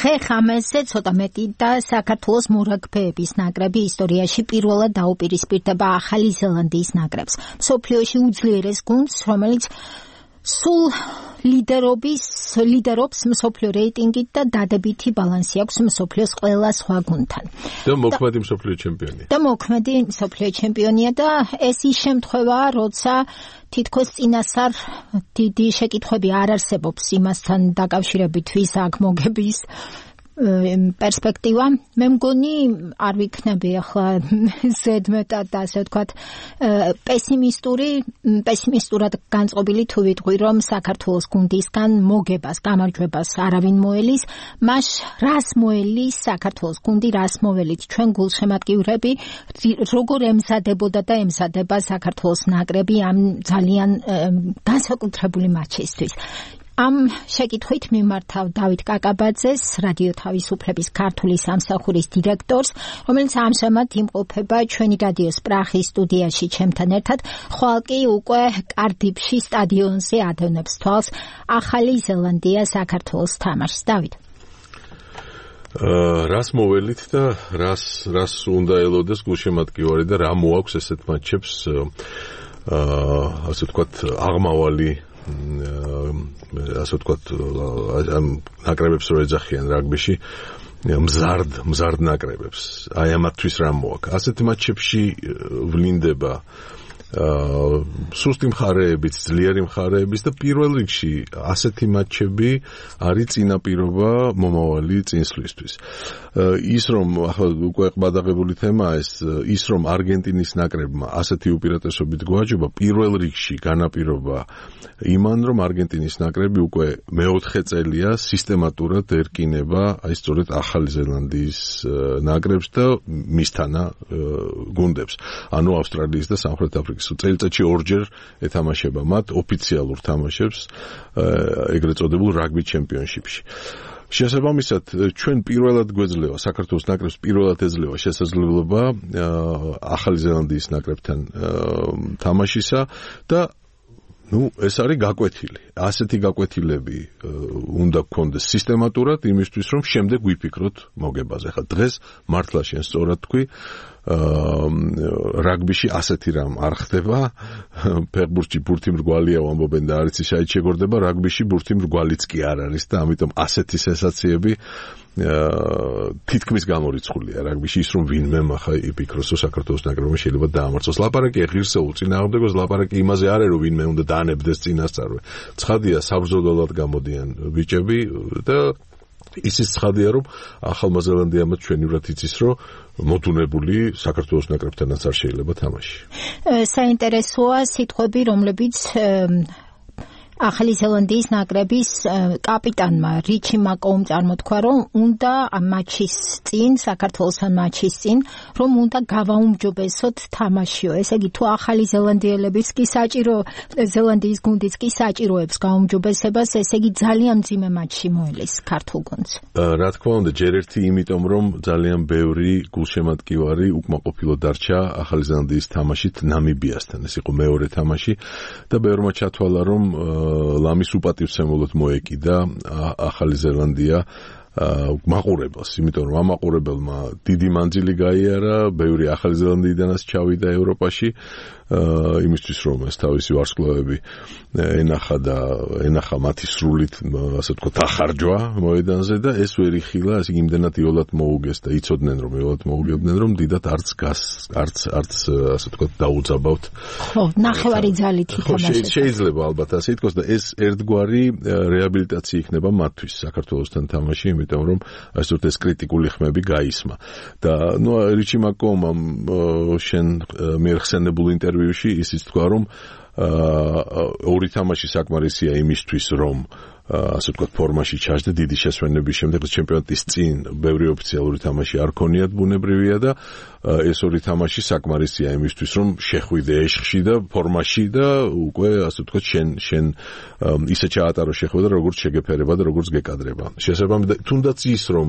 დღე ხამესზე ცოტა მეტი და საქართველოს მორაგბეების ნაკრები ისტორიაში პირველად დაუპირისპირდება ახალი ზელანდიის ნაკრებს. მსოფლიოში უძლიერეს გუნდს, რომელიც სულ ლიდერობს მსოფლიო რეიტინგით და დადებითი ბალანსი აქვს მსოფლიოს ყველა სხვა გუნდთან. და მოქმედი მსოფლიო ჩემპიონია. და მოქმედი მსოფლიო ჩემპიონია და ეს ის შემთხვევაა, როცა თითქოს წინასწარ დიდი შეკითხვები არ არსებობს იმასთან დაკავშირებით, ვის აქ მოგების პერსპექტივა. მე მგონი არ ვიქნები ახლა ზედმეტად და ასე ვთქვათ პესიმისტურად განწყობილი თუ ვიტყვი, რომ საქართველოს გუნდისგან მოგებას, გამარჯვებას არავინ მოელის, მას რას მოელის საქართველოს გუნდი, რას მოველით ჩვენ გულშემატკივრები, როგორ ემზადებოდა და ემზადება საქართველოს ნაკრები ამ ძალიან განსაკუთრებული მატჩისთვის. ამ შეკითხვით მიმართავ დავით კაკაბაძეს, რადიო თავისუფლების ქართული სამსახურის დირექტორს, რომელიც ამჟამად იმყოფება ჩვენი რადიოს პრაღის სტუდიაში ჩემთან ერთად, ხვალ კი უკვე კარდიფში სტადიონზე ადევნებს თვალს ახალი ზელანდია საქართველოს თამაშს. დავით. რას მოველით და რას უნდა ელოდეს გულშემატკივარი და რა მოაქვს ესეთ მატჩებს ასე ვთქვათ აღმავალი ასე ვთქვათ ამ ნაკრებებს რო ეძახიან რაგბიში მზარდ ნაკრებებს. აი ამათთვის რა მოაქვს. ასეთ მატჩებში ვლინდება სუსტი მხარეებიც, ძლიერი მხარეებიც და პირველ რიგში ასეთი მატჩები არის წინაპირობა მომავალი წინსვლისთვის. ის რომ ახლა უკვე ყბადაღებული თემაა ის რომ არგენტინის ნაკრებმა ასეთი უპირატესობით გვაჯობა პირველ რიგში განაპირობა იმან რომ არგენტინის ნაკრები უკვე მეოთხე წელია სისტემატურად ერკინება აი სწორედ ახალი ზელანდიის ნაკრებს და მისთანა გუნდებს. ანუ ავსტრალიის და სამხრეთ აფრიკის წელიწადში ორჯერ ეთამაშება მათ ოფიციალურ თამაშებს ეგრეთ წოდებულ რაგბი ჩემპიონშიპში. შესაბამისად ჩვენ პირველად გვეძლევა საქართველოს ნაკრებს პირველად ეძლევა შესაძლებლობა ახალი ზელანდიის ნაკრებთან თამაშისა და ეს არის გაკვეთილი. ასეთი გაკვეთილები უნდა გქონდეს სისტემატურად იმისთვის, რომ შემდეგ ვიფიქროთ მოგებაზე. ხა დღეს მართლა შენ სწორად თქვი, რაგბიში ასეთი რამ არ ხდება. ფეხბურთში ბურთი მრგვალია ვამბობენ და არც ისე შეგორდება, რაგბიში ბურთი მრგვალიც კი არ არის და ამიტომ ასეთი სენსაციები თითქმის გამორიცხულია რაგბიში ის რომ ვინმე ახლა იფიქროს რომ საქართველოს ნაკრებმა შეიძლება დაამარცხოს. ლაპარაკი ღირსეულ წინააღმდეგოს, ლაპარაკი იმაზე არ არის რომ ვინმე უნდა დაანებდეს წინასწარვე. ცხადია საბრძოლველად გამოდიან ბიჭები და ისიც ცხადია რომ ახალმა ზელანდიამ ჩვენივრად იცის რომ მოდუნებული საქართველოს ნაკრებთანაც არ შეიძლება თამაში. საინტერესოა სიტყვები, რომლებიც ახალი ზელანდიის ნაკრების კაპიტანმა რიჩი მაკოუმ წარმოთქვა, რომ უნდა ამ მატჩის წინ, საქართველოსთან მატჩის წინ, რომ უნდა გავაუმჯობესოთ თამაშიო. ესე იგი, თუ ახალი ზელანდიელების კი საჭირო, ზელანდიის გუნდიც კი საჭიროებს გაუმჯობესებას, ესე იგი ძალიან მძიმე მატჩი მოელის ქართულ გუნდს. რა თქმა უნდა, ჯერ ერთი იმიტომ, რომ ძალიან ბევრი გულშემატკივარი უკმაყოფილო დარჩა ახალი ზელანდიის თამაშით ნამიბიასთან. ეს იყო მეორე თამაში და ბევრმა ჩათვალა, რომ ლამის უპატივცემულოდ მოეკიდა ახალი ზელანდია მაყურებელს, იმიტომ რომ ამაყურებელმა დიდი მანძილი გაიარა, ბევრი ახალი ზელანდიიდანაც ჩავიდა ევროპაში, იმისთვის რომ ეს თავისი ვარსკვლავები ენახა მათი სრულით, ასე ვთქვათ, ახარჯვა მოედანზე და ეს ვერ იხილა, ასე იმდენად იოლად მოუგეს და იცოდნენ რომ მოუგებდნენ რომ დიდად არც ასე ვთქვათ დაუძაბავთ. ხო, ნახევარი ძალით ითამაშეს. შეიძლება ალბათ ასე ითქვას და ეს ერთგვარი რეაბილიტაცია იქნება მათთვის საქართველოსთან თამაში, იმიტომ რომ ასე ვთქვათ ეს კრიტიკული ხმები გაისმა. და რიჩი მაკოუმამ შენ მიერ-ხსენებულ ინტერვიუში ისიც თქვა, რომ ორი თამაში საკმარისია იმისთვის, რომ ასე ვთქვათ ფორმაში ჩაჯდე დიდი შესვენების შემდეგ ჩემპიონატის წინ ბევრი ოფიციალური თამაში არ ქონიათ ბუნებრივია და ეს ორი თამაში საკმარისია იმისთვის, რომ შეხვიდე ეშხში და ფორმაში და უკვე ასე ვთქვათ შენ ისე ჩაატარო შეხვედრა, როგორც შეგეფერება და როგორც გეკადრება. შესაბამისად, თუნდაც ის რომ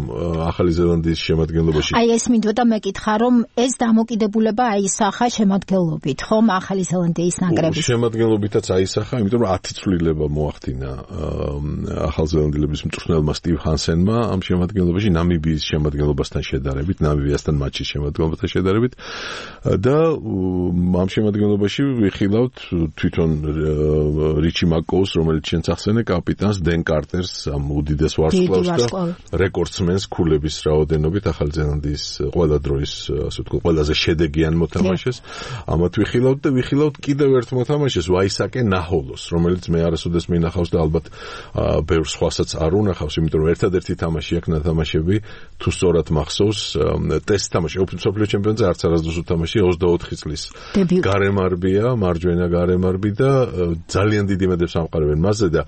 ახალი ზელანდიის შემადგენლობაში აი ეს მინდოდა მეკითხა, რომ ეს დამოკიდებულება აისახა შემადგენლობით, ხომ ახალი ზელანდიის ნაკრებისგან. შემადგენლობითაც აისახა, იმიტომ რომ 10 ცვლილება მოახდინა ახალზელანდელების მწვრთნელმა სტივ ჰანსენმა ამ შემადგენლობაში ნამიბიის შემადგენლობასთან შედარებით, ნამიბიასთან მატჩის შემადგენლობასთან შედარებით და ამ შემადგენლობაში ვიხილავთ თვითონ რიჩი მაკოუს, რომელიც შენც ახსენე, კაპიტანს, დენ კარტერს, ამ უდიდეს ვარსკვლავს და რეკორდსმენს ქულების რაოდენობით ახალი ზელანდიის ყველა დროის, ასე ვთქვათ, ყველაზე შედეგიან მოთამაშეს. ამათ ვიხილავთ და ვიხილავთ კიდევ ერთ მოთამაშეს, ვაისაკე ნაჰოლოს, რომელიც მე არასოდეს მინახავს და ალბათ ბევრ სხვასაც არ უნახავს, იმიტომ რომ ერთადერთი თამაში აქვს ნათამაშები, თუ სწორად მახსოვს, ტესტ თამაში, მსოფლიო ჩემპიონატზე არც არასდროს უთამაში 24 წლის გარემარბია, მარჯვენა გარემარბი და ძალიან დიდი იმედებს ამყარებენ მასზე და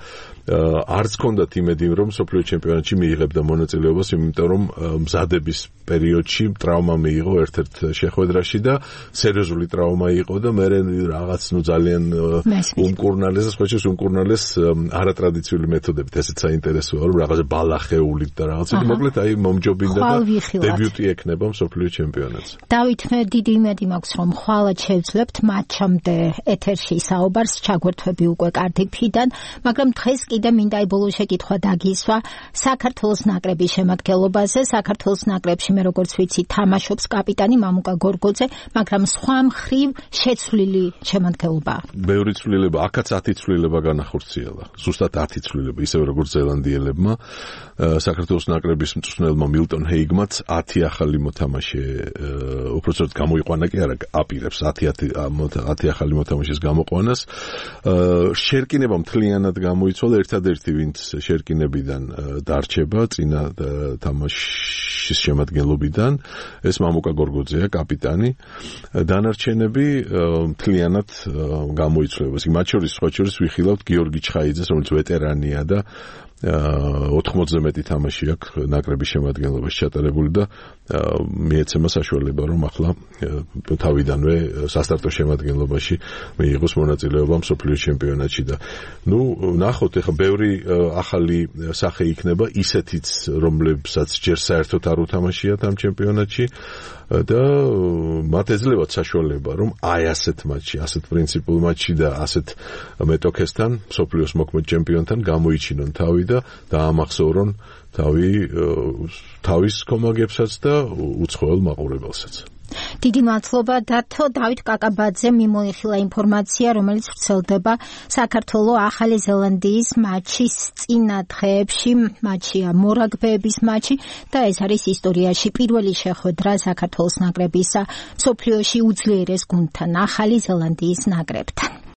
არც ჰქონდათ იმედი რომ მსოფლიო ჩემპიონატში მიიღებდა მონაწილეობას, იმიტომ რომ მზადების პერიოდში ტრავმა მიიღო ერთ-ერთ შეხვედრაში და სერიოზული ტრავმა იყო და მე რაღაც ძალიან უმკურნალეს, სხვაჩეს უმკურნალეს არატრადიციული მეთოდებით, ესეც საინტერესოა, რომ რაღაცა ბალახეულით და რაღაცა, მოკლედ აი მომჯობინდა და დებიუტი ექნება მსოფლიო ჩემპიონატზე. დავით, მე დიდი იმედი მაქვს, რომ ხვალად შევძლებთ მატჩამდე ეთერში საუბარს, ჩაგვერთვები უკვე კარდიფიდან, მაგრამ დღეს კიდე მინდა ბოლო შეკითხვა დაგისვა საქართველოს ნაკრების შემადგენლობაზე. საქართველოს ნაკრებში მე როგორც ვიცი თამაშობს კაპიტანი მამუკა გორგოძე, მაგრამ სხვა მხრივ შეცვლილი შემადგენლობა. ბევრი ცვლილება, აქაც 10 ცვლილება განახორციელა. ზუსტად 10 ცვლილება, ისევე როგორც ზელანდიელებმა. საქართველოს ნაკრების მწვრთნელმა მილტონ ჰეიგმაც 10 ახალი მოთამაშე უпроцент გამოიყვანა კი არა, აპირებს 10 ახალი მოთამაშეს გამოყვანას. შერკინება მთლიანად გამოიცვალა, ერთადერთი ვინც შერკინებიდან დარჩება წინა თამაშის შემადგენლობიდან, ეს მამუკა გორგოძეა, კაპიტანი. დანარჩენები მთლიანად გამოიცვლება. მათ შორის სხვა შორის ვიხილავთ გიორგი ჩხაიძეს, რომელიც ვეტერანია და 80-ზე მეტი თამაში აქვს ნაკრების შემადგენლობაში ჩატარებული და მიეცემა საშუალება, რომ ახლა თავიდანვე სასტარტო შემადგენლობაში მიიღოს მონაწილეობა მსოფლიო ჩემპიონატში და ნახოთ, ეხლა ბევრი ახალი სახე იქნება, ისეთიც, რომლებსაც ჯერ საერთოდ არ უთამაშიათ ამ ჩემპიონატში და მათ ეძლევათ საშუალება, რომ აი ასეთ მატჩში, ასეთ პრინციპულ მატჩში და ასეთ მეტოქესთან, მსოფლიოს მოქმედ ჩემპიონთან გამოიჩინონ თავი და დაამახსოვრონ თავის კომაგებსაც და უცხოელ მაყურებელსაც. დიდი მადლობა დათო. დავით კაკაბაძე მიმოიხილა ინფორმაცია, რომელიც ვრცელდება საქართველოს ახალი ზელანდიის მატჩის წინა დღეებში, მატჩია მორაგბეების მატჩი და ეს არის ისტორიაში პირველი შეხვედრა საქართველოს ნაკრებისა მსოფლიოში უძლიერეს გუნდთან, ახალი ზელანდიის ნაკრებთან.